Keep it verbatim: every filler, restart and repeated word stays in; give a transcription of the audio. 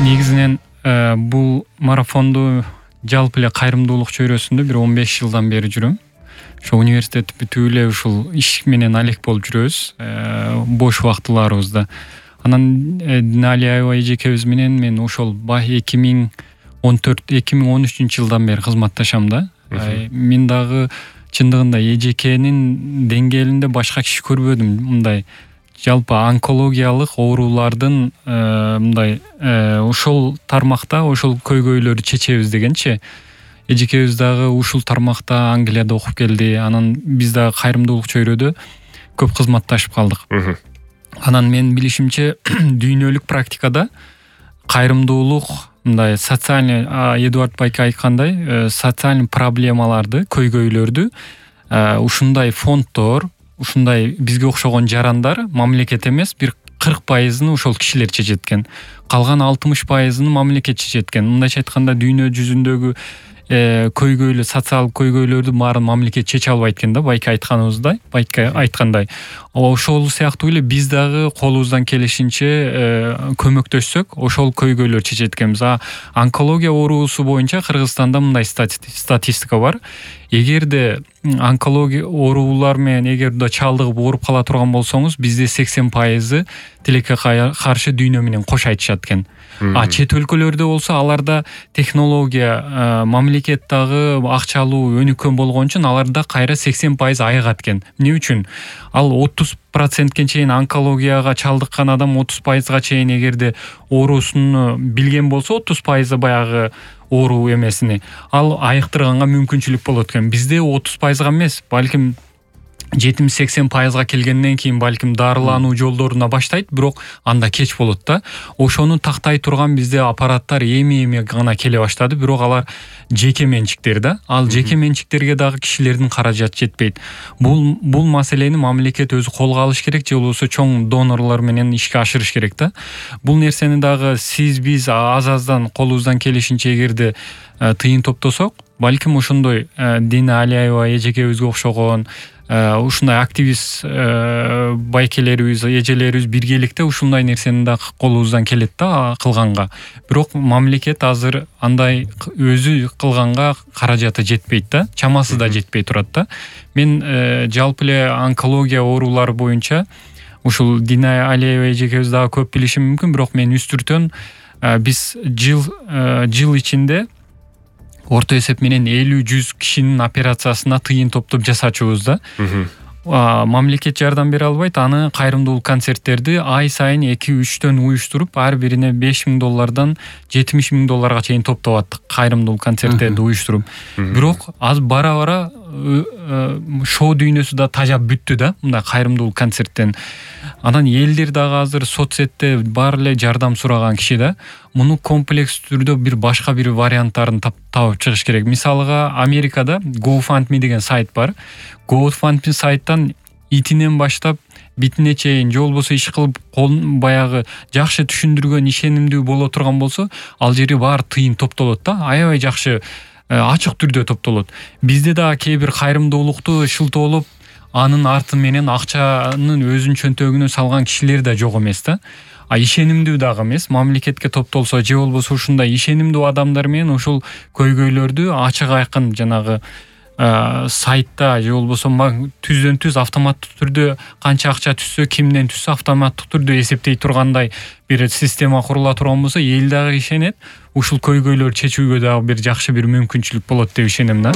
негизинен бул марафонду жалпы эле кайрымдуулук чөйрөсүндө бир он беш жылдан бери жүрөм. Ошо университет бүтүп эле ушул иш менен алек болуп жүрөбүз бош убактыларыбызда. Анан Диналия аябай эжекебиз менен мен ошол эки миң он төрт эки миң он үчүнчү жылдан бери кызматташам да. Мен дагы чындыгында эжекенин деңгээлинде башка киши көрбөдүм. Мындай жалпы онкологиялык оорулардын мындай ошол тармакта ошол көйгөйлөрдү чечебиз дегенчи. Эжекебиз дагы ушул тармакта Англияда окуп келди. Анан биз дагы кайрымдуулук чөйрөдө көп кызматташып калдык. Анан мен билишимче дүйнөлүк практикада кайрымдуулук мындай социальный Эдуард Байке айткандай социальный проблемаларды, көйгөйлөрдү ушундай фонддор, ушундай бизге окшогон жарандар мамлекет эмес бир кырк пайызын ошол кишилер чечет экен. Калган алтымыш пайызын мамлекет чечет экен. Мындайча айтканда дүйнө жүзүндөгү көйгөйлүү социалдык көйгөйлөрдү баарын мамлекет чече албайт экен да, Байке айтканыбыздай, Байке айткандай. Ошол сыяктуу эле биз дагы колубуздан келишинче көмөктөшсөк, ошол көйгөйлөр чечет экенбиз. А онкология оорусу боюнча Кыргызстанда мындай статистика бар. Эгерде онкология оорулар менен эгерде чалдыгып ооруп кала турган болсоңуз, бизде сексен пайызы тилекке каршы дүйнө менен кош айтышат экен. А чет өлкөлөрдө болсо аларда технология, мамлекет дагы акчалуу өнүккөн болгон үчүн аларда кайра сексен пайыз айыгат экен. Эмне үчүн? Ал отуз процентке чейин онкологияга чалдыккан адам отуз пайызга чейин эгерде оорусун билген болсо, отуз пайызы баягы оору эмесини ал айыктырганга мүмкүнчүлүк болот экен. Бизде отуз пайызга эмес, балким жетимиш сексен пайызга келгенден кийин балким дарылануу жолдоруна баштайт, бирок анда кеч болот да. Ошону тактай турган бизде аппараттар эми-эми гана келе баштады, бирок алар жеке менчиктер да. Ал жеке менчиктерге дагы кишилердин каражаты жетпейт. Бул бул маселени мамлекет өзү колго алыш керек, же болбосо чоң донорлор менен ишке ашырыш керек да. Бул нерсени дагы сиз биз аз-аздан колубуздан келишинче эгерде тыйын топтосок, балким ошондой Дина Алиева эжекебизге окшогон ушундай активист байкелерибиз, эжелерибиз биргеликте ушундай нерсени да колубуздан келет да кылганга. Бирок мамлекет азыр андай өзү кылганга каражаты жетпейт да, чамасы да жетпей турат да. Мен жалпы эле онкология оорулары боюнча ушул Дина Алиева эжекебиз дагы көп билиши мүмкүн, бирок мен үстүртөн биз жыл жыл ичинде орто эсеп менен элүү жүз кишинин операциясына тыйын топтоп жасачубуз да. Мамлекет жардам бере албайт, аны кайрымдуулук концерттерди ай сайын эки үчтөн уюштуруп, ар бирине беш миң доллардан жетимиш миң долларга чейин топтоп аттык кайрымдуулук концерттерди уюштуруп. Бирок аз бара-бара шоу дүйнөсү да тажап бүттү да, мындай кайрымдуулук концерттен. Анан элдер дагы азыр соцсетте баары эле жардам сураган киши да. Муну комплекс түрдө бир башка бир варианттарын табып чыгыш керек. Мисалга Америкада GoFundMe деген сайт бар. GoFundMe сайттан итинен баштап битине чейин же болбосо иш кылып баягы жакшы түшүндүргөн, ишенимдүү боло турган болсо, ал жери баары тыйын топтолот да. Аябай жакшы ачык түрдө топтолот. Бизде да кээ бир кайрымдуулукту шылтоолоп, анын арты менен акчанын өзүнүн чөнтөгүнө салган кишилер да жок эмес да. А ишенимдүү дагы эмес, мамлекетке топтолсо же болбосо ушундай ишенимдүү адамдар менен ошол көйгөйлөрдү ачык айкын жанагы сайтта же болбосо түздөн түз автоматтык түрдө канча акча түшсө, кимден түшсө автоматтык түрдө эсептей тургандай бир система курула турган болсо, эл дагы ишенет, ушул көйгөйлөрдү чечүүгө дагы бир жакшы бир мүмкүнчүлүк болот деп ишенем да.